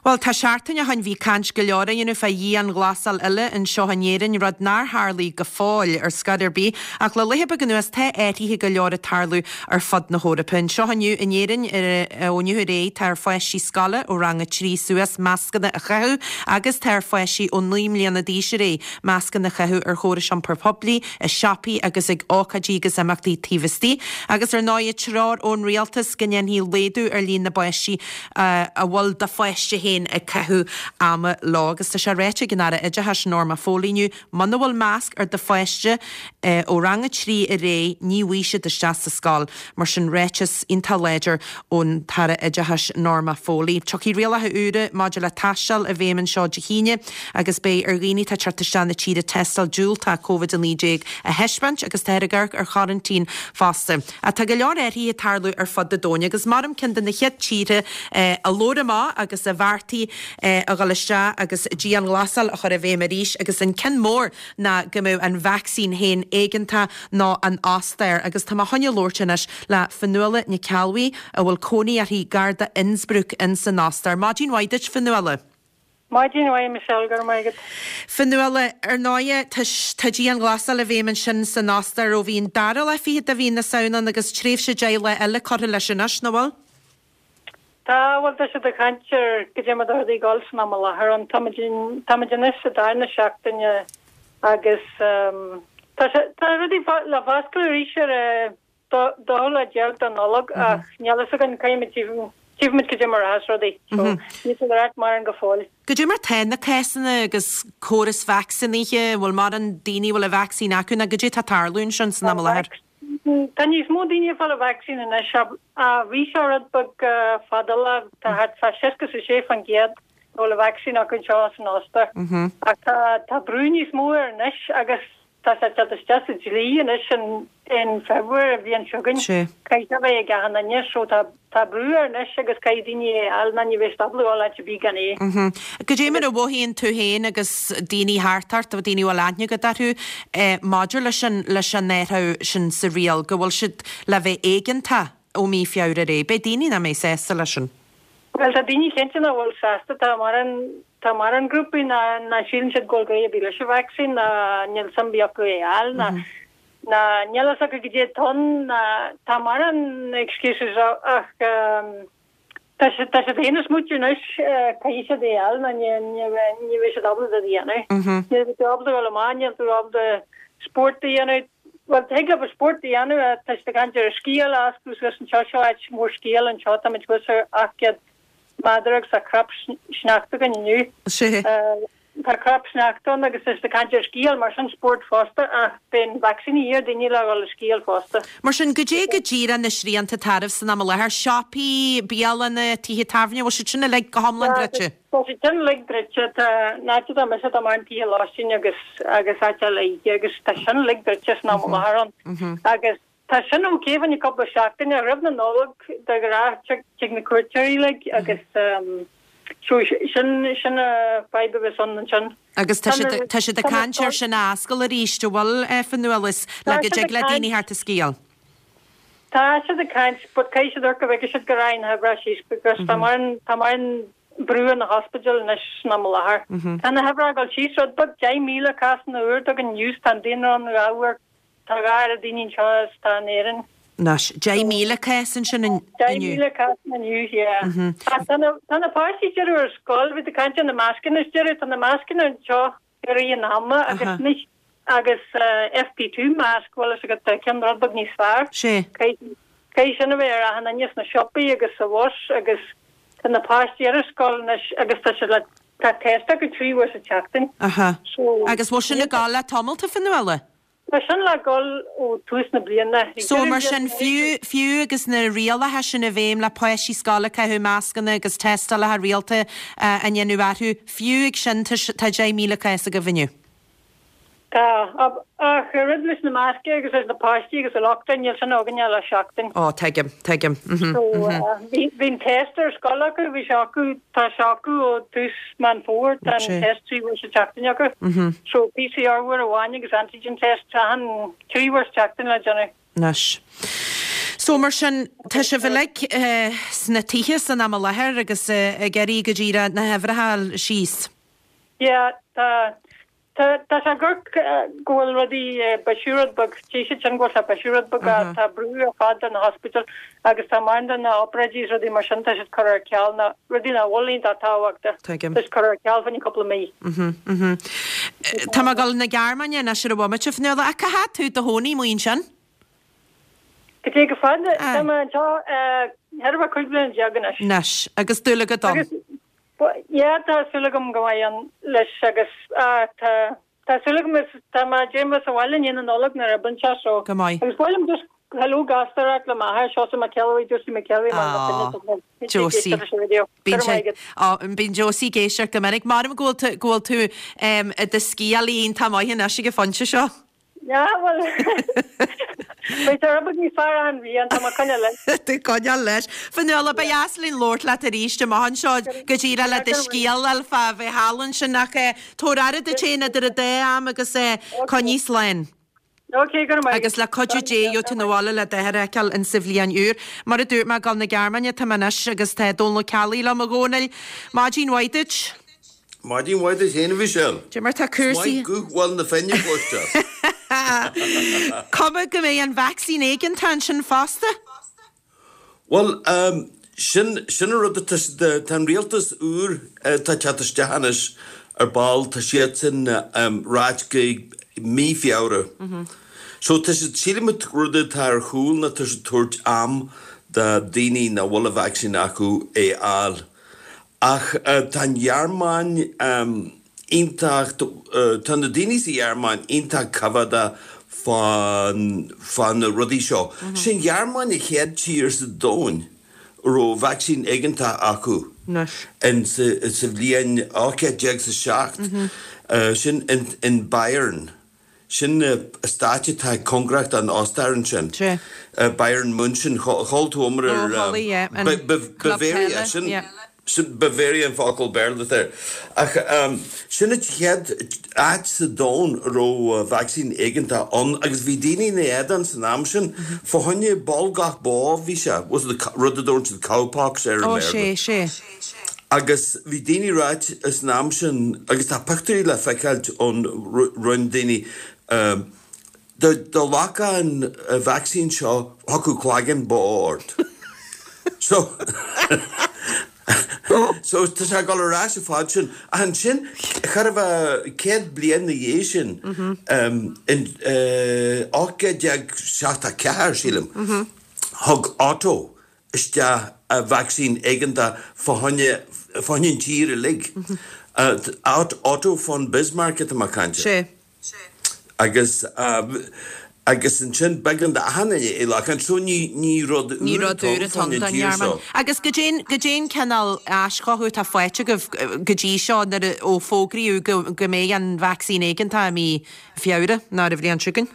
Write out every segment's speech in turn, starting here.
Bhuel, tá seachtain ó shoin bhí caint go leor á dhéanamh fá dhianghlasáil eile anseo in Éirinn, rud nár tharlaigh go fóill ar scor ar bith, ach le laetha beaga anuas tá athruithe go leor ag tarlú ar fud na hEorpa. Anseo inniu in Éirinn, ó inniu ar aghaidh, tá ar pháistí scoile ó rang 3 suas mascanna a chaitheamh agus tá ar pháistí ó 9 mbliana d'aois ar aghaidh mascanna a chaitheamh ar chórais iompair poiblí, i siopaí agus ag ócáidí agus imeachtaí taobh istigh. Agus ar ndóigh, treoir ón rialtas go ndéanfaí laghdú ar líon na bpáistí a bhfuil do pháiste féin ag caitheamh ama leo. Agus tá sé ráite ag an Aire Oideachais, Norma Foley inniu, muna bhfuil masc ar do pháiste ó rang a 3 ar aghaidh, ní bhfaighidh siad isteach sa scoil. Mar sin, ráiteas iontach láidir ón tAire Oideachais, Norma Foley. Tiocfaidh rialacha úra maidir le taisteal i bhfeidhm anseo Dé hAoine agus beidh ar dhaoine atá ag teacht isteach na tíre tástáil diúltach Covid-19 a thaispeáint agus táthar ag amharc ar choraintín fosta. Ach tá go leor athruithe ag tarlú ar fud an domhain agus maram ceann de na chéad tíortha a labhair amach agus a bheartaigh a dhul isteach agus dianghlasáil a chur i bhfeidhm arís agus an ceann mór ná go mbeadh an vacsaín féin éigeantach ná an Ostair agus tá mé chun a labhairt anois le Fionnuala Nic Ceallbhuí a bhfuil cónaí uirthi gar do Innsbruck ins an Ostair. Maidin mhaith duit Fionnuala. Maidin mhaith, Michelle, go raibh maith agat. Fionnuala, Ar ndóighe, tá tá dianghlasáil i bhfeidhm ansin san Ostair ó bhí an dara lá fichead de mhí na Samhna ann agus tréimhse 10 lá eile curtha leis anois, nach bhfuil? Tá, bhuel, tá siad ag caint ar goidé mar atá rudaí ag dul san am i láthair ann. Táimid, táimid anois sa darna seachtaine agus tá sé, tá rudaí le foscladh arís ar a 12 lá de Nollaig ach níl fhios againn caithfimid tchífimid goidé mar a rachas rudaí. So níl siad ag ráit mórán go fóill. Goidé mar tá na cásanna agus córas vacsaínithe, an bhfuil mórán daoine a bhfuil an vacsaín acu nó goidé atá ag tarlú ansin san am i láthair? Tá níos mó daoine ag fáil an vacsaín anois ach bhí sé rud beag fadálach, tá thart fá 66% a bhfuil an vacsaín acu anseo san Ostair. Ach tá brú níos mó air anois agus Tá sé ag teacht isteach sa dlí anois in February an bhliain seo chugainn. Caithfidh sé a bheith ag achan duine so tá tá brú air anois agus caithfidh daoine é a fháil nó ní bheidh siad ábalta dul áit ar bith gan é. Goidé mar a mhothaíonn tú féin agus daoine thart ort, daoine a bhfuil aithne agat orthu, maidir leis an leis an athrú sin sa riail, go bhfuil siad le bheith éigeantach ó mí Feabhra ar aghaidh? Beidh daoine nach mbeidh sásta leis sin. Bhuel tá daoine cinnte nach bhfuil sásta, tá mórán tá mórán grúpaí ná ná síleann siad go bhfuil gá ar bith leis an vacsaín ná níl suim ar bith acu é a fháil ná ná níl fhios acu goidé atá ann ná tá mórán excuses ach tá siad tá siad féin ag smaoitiú anois caithfidh siad é a fháil nó ní ní ní bheidh siad ábalta rud a dhéanamh. Ní bheidh tú ábalta dul amach, níl tú ábalta spórt a dhéanamh. Bhuel, thig leofa spórt a dhéanamh, tá siad ag caint ar an sciáil a oscailt suas anseo, seo áit mhór sciála anseo, táimid thuas ar 800 méadar agus tá cnap sneachta againn inniu. Tá cnap sneachta ann agus tá siad ag caint ar sciáil, mar sin spórt fosta ach beidh an vacsaín a dhíth ar daoine le dhul ag sciáil fosta. Mar sin, goidé go díreach na srianta atá oraibh san am i láthair? Siopaí, bialanna, tithe tábhairne, bhfuil siad sin uilig go hiomlán druidte? Tá siad sin uilig druidte. Tá an áit atá mise, tá mórán tithe lóistín agus agus áit eile oíche agus tá sin uilig druidte san am i láthair ann. Agus tá sin ok fá choinne cúpla seachtaine ach roimh na Nollag de ghnáth tig tig na cuairteoirí uilig agus so sin sin an fadhb a bheas ann ansin. Agus tá siad tá siad ag caint ar sin a oscailt arís, an bhfuil, Fionnuala, le Tá go siad dtig ag le daoine caint. theacht ag sciáil? Tá siad ag caint but caithfidh siad amharc go bhfeicfidh siad go rachaidh na huimhreacha síos because tá mórán tá mórán brú ar na hospidéil anois san am i láthair. Tá na huimhreacha ag dul síos rud beag, 10,000 cásanna úr atá againn inniu, tá an daonra ann dhá uair, tá dhá oiread daoine anseo is atá in Éirinn. Anois, 10,000 cás ansin inniu. 10,000 cásanna inniu, yeah. Ach tá na, tá na páistí deireadh ar scoil, bhí tú ag caint ar na mascanna is deireadh, tá na mascanna anseo i rith an ama agus anois agus FP2 mask, bhfuil fhios agat, tá ceann rud beag níos fearr. Sea. Caithfidh sin a bheith ar achan duine sna siopaí agus sa bhus agus tá na páistí ar an scoil anois agus tá siad le, tá test acu 3 uair sa tseachtain. Aha. So. Agus bhfuil sin ag gabháil le tamall, a Fionnuala? Tá sin le gabháil ó tús na bliana. So mar sin, fiú, fiú agus na rialacha sin i bhfeidhm le páistí scoile ag caitheamh mascanna agus tástálacha rialta á ndéanamh orthu, fiú ag sin tá, tá 10,000 cás agaibh inniu. Tá, ach rud leis na mascanna agus leis na páistí agus an lockdown, níl sin againn ach le seachtain. Ó, tuigim, tuigim. Mhm, So, mhm. bhí, bhí an test ar scoil acu, bhí sé acu, tá sé acu ó tús Meán Fómhair, tá an test 3 uair sa tseachtain acu. Mhm. So, PCR uair amháin agus antigen test achan 3 uair sa tseachtain le déanamh. Anois. So mar sin, tá sibh uilig sna tithe san am i láthair agus ag iarraidh go díreach na huimhreacha a fháil síos. Yeah, tá, tá, tá sé ag amharc go bhfuil rudaí ag bisiú rud beag, tchí siad sin go bhfuil sé ag bisiú rud beag ach tá brú ar fad ar na hospidéil agus tá mórán de na obráidí is rudaí mar sin tá siad curtha ar ceal na rudaí nach bhfuil iontach tábhachtach, tá siad curtha ar ceal fá choinne cúpla mí. Tá mé ag dul na Gearmáine anois ar an bhomaite, Fionnuala, ach cá háit tú i do chónaí amuigh ansin? Go dtí go fada, tá mé anseo thart ar 15 bliana anois. Anois, agus dúil agat ann? Agus, yeah, tá súil agam go mbeidh ann leis agus tá, tá súil agam is tá mé ag déanamh sa bhaile i ndiaidh na Nollag nuair a bhain sé so. Go maith. Agus ba mhaith liom just hello gasta a ráit le m'athair, Seosamh Mac Ceallabhuí, Josie McKelvey, mar Aww, Josie. Bíonn sé, á, bíonn Josie ag éisteacht go minic. M'anam go bhfuil tú, go bhfuil tú i do sciálaí iontach maith anois ag an phointe seo. Yeah, bhuel, beidh sé rud beag níos fearr achan bhliain, tá mé ag coinneáil leis. Tú ag coinneáil leis. Fionnuala, ba dheas linn labhairt leat arís amach anseo go díreach le do scéal a fháil fá bheith thall ansin ach tabhair aire duit féin idir an dá am agus coinnigh slán. Ok, go raibh maith. Agus le cuidiú Dé gheobhaidh tú 'na bhaile le d'athair a fheiceáil in sa bhliain úr. Mar a dúirt mé, ag dul na Gearmáine atá mé anois agus tá Dónal Ó Ceallaigh liom, a Dhónaill. Maidin mhaith duit. Maidin mhaith duit féin, a Mhichelle. Dé mar tá cúrsaí. Is maith guth Bhaile na Finne a chloisteáil. Cuma go mbeidh an vacsaín éigeantach ansin fosta? Bhuel, sin, sin an rud atá siad, tá an rialtas úr atá ag teacht isteach anois ar ball, tá siadsan ráit go mí Feabhra. So tá siad, sílim an rud atá ar chúl ná tá siad tabhairt am do daoine nach bhfuil an vacsaín acu é a fháil. Ach tá an Ghearmáin iontach, tá na daoine sa Ghearmáin iontach coimheádach fá, fá na rudaí seo. Sé an Ghearmáin an chéad tír sa domhain a raibh vacsaín éigeantach acu in, sa bhliain 1807, sin in Bayern. Sin eastát atá cóngarach don Ostair ansin. Bayern München. Chuala tú iomrá ar Bavaria. Sin Bavaria an focal Béarla atá air. Ach sin an chéad áit sa domhan a raibh vacsaín éigeantach ann agus bhí daoine ina éadan san am sin. Fá choinne bolgach bó bhí sé, rud a dtabharann siad cowpox air i mBéarla. Agus bhí daoine ráit san am sin, agus tá pictiúirí le feiceáilt ón roinn daoine, dá nglacfá an vacsaín seo thiocfadh cloigeann bó ort. So, so tá sé ag dul ar ais an fad sin. Ach ansin, chóir a bheith 100 bliain na dhiaidh sin, in 1874, sílim, thug Otto isteach vacsaín éigeantach fá choinne, fá choinne an tír uilig. Otto von Bismarck atá mé ag caint air. Agus, agus ansin b'éigean d'achan duine é a ghlacadh. So ní, ní rud Ní úr rud atá úr ann atá fá ann choinne an don tír Ghearmáin. seo. Agus goidé, goidé an cineál aischothú atá faighte agaibh go dtí seo nuair a, ó fógraíodh go, go mbeidh an vacsaín éigeantach i mí Feabhra nó ar an bhliain seo chugainn?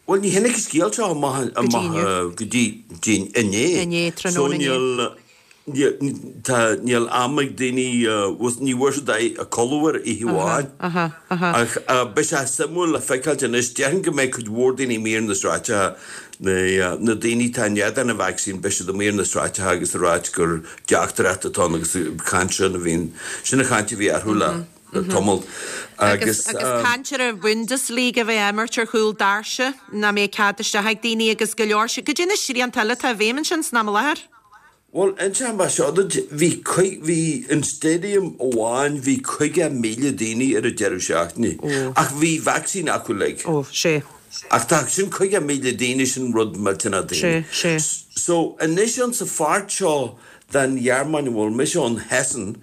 Bhuel, ní tháinig an scéal seo amach Go dtí inniu. go dtí inné. Inné, So tráthnóna inné. níl, níl, tá, níl am ag daoine, ní bhfuair siad a codladh air oíche amháin. Aha, aha. Ach beidh sé suimiúil le feiceáilt anois. Déarfainn go mbeidh cuid mhór daoine amuigh ar na sráideacha, na, na daoine atá in éadan an vacsaín, beidh siad amuigh ar na sráideacha agus ag ráit gur deachtóireacht atá ann agus caint sin a bhíonn, sin an chaint a bhí orthu le. tamall agus. Agus caint ar an Bundesliga a bheith á imirt ar chúl doirse, nach mbeidh cead isteach ag daoine agus go leor. Goidé na srianta eile atá i bhfeidhm ansin san am i láthair? Bhuel, inseoidh mé seo duit, bhí bhí in stadium amháin bhí 50,000 daoine ar an deireadh seachtaine ach bhí vacsaín acu uilig. Ó, sé. Ach tá sin 50,000 daoine, sin rud millteanach daoine. Sé, sé. So anois in sa pháirt seo den Ghearmáin a bhfuil mise ann, Hessen,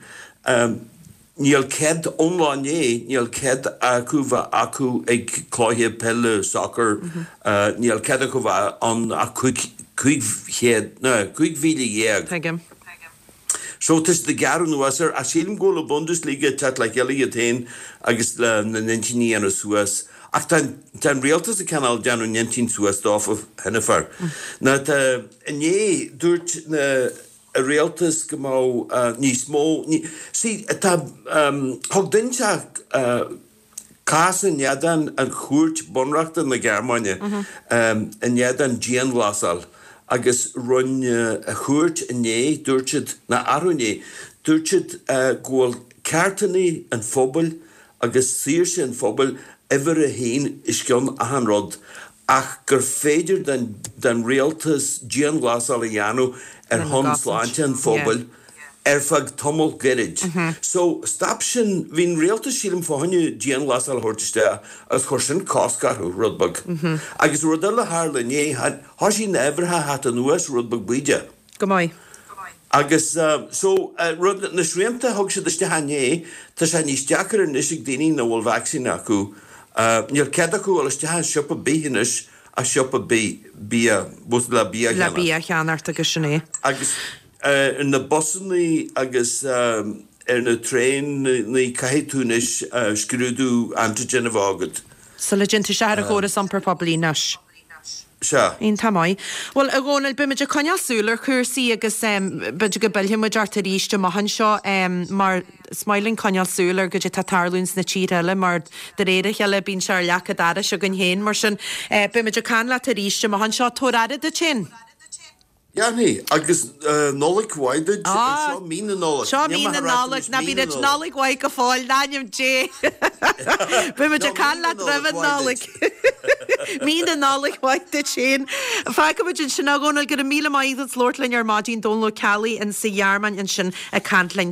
Níl cead, ón lá inné, níl cead acu bheith acu ag cluiche peile, soccer, níl cead acu bheith ann ach 500, ná 15,000. Tuigim. So tá siad ag gearradh anuas air, ach sílim go bhfuil an Bundesliga ag teacht le chéile iad féin agus le na n-intinní a dhéanamh suas. Ach tá, tá an rialtas ag cineál déanamh a n-intinn suas dófa cheana féin. Ná tá, inné, dúirt na, rialtas go mbeadh níos mó, see, tá, thug duine inteacht. Cás in éadan an Chúirt Bunreachta na Gearmáine in éadan dianghlasáil agus rinne an chúirt inné, dúirt siad, ná arú inné, dúirt siad go bhfuil ceartanna an phobail agus saoirse an phobail uimhir a haon os cionn achan rud ach gur féidir don rialtas dianghlasáil a dhéanamh ar shon sláinte an phobail ar feadh tamall gairid. So, stop sin, bhí an rialtas sílim fá choinne dianghlasáil a thabhairt isteach agus chuir sin cosc orthu, rud beag. Agus rud eile a tharla inné, thoisigh na huimhreacha a theacht anuas rud beag bídeach. Go maith. Agus so, rud, na srianta a thug siad isteach inné, tá sé níos deacair anois ag daoine nach bhfuil vacsaín acu, níl cead acu dul isteach i siopa ar bith anois ach siopa bia, le bia a cheannacht. Le bia a cheannacht agus sin é. Agus ar na busannaí agus ar na traenaí caithfidh tú anois scrúdú antigen a bheith agat. Sula dtéann tú isteach ar an chóras iompair poiblí anois. Sea. Iontach maith. Bhuel, a Dhónaill, beimid ag coinneáil súil ar chúrsaí agus b'fhéidir go bpillfidh muid ort arís amach anseo mar is maith linn coinneáil súil ar goidé atá ag tarlúint sna tíortha eile mar de réir a chéile bíonn sé ar leac an dorais againn féin. Mar sin, beimid ag caint leat arís amach anseo. Tabhair aire duit féin. Déanfaidh, agus Nollaig mhaith duit. Seo mí na Nollag. Seo mí na Nollag. Ná bí ag Nollaig mhaith go fóill, in ainm Dé. Beidh muid ag caint leat roimh an Nollaig. Mí na Nollag mhaith duit féin. Fágfaidh muid ansin a Dhónaill, go raibh míle maith agat as labhairt linn ar maidin, Dónal Ó Ceallaigh insa Ghearmáin ansin ag caint linn.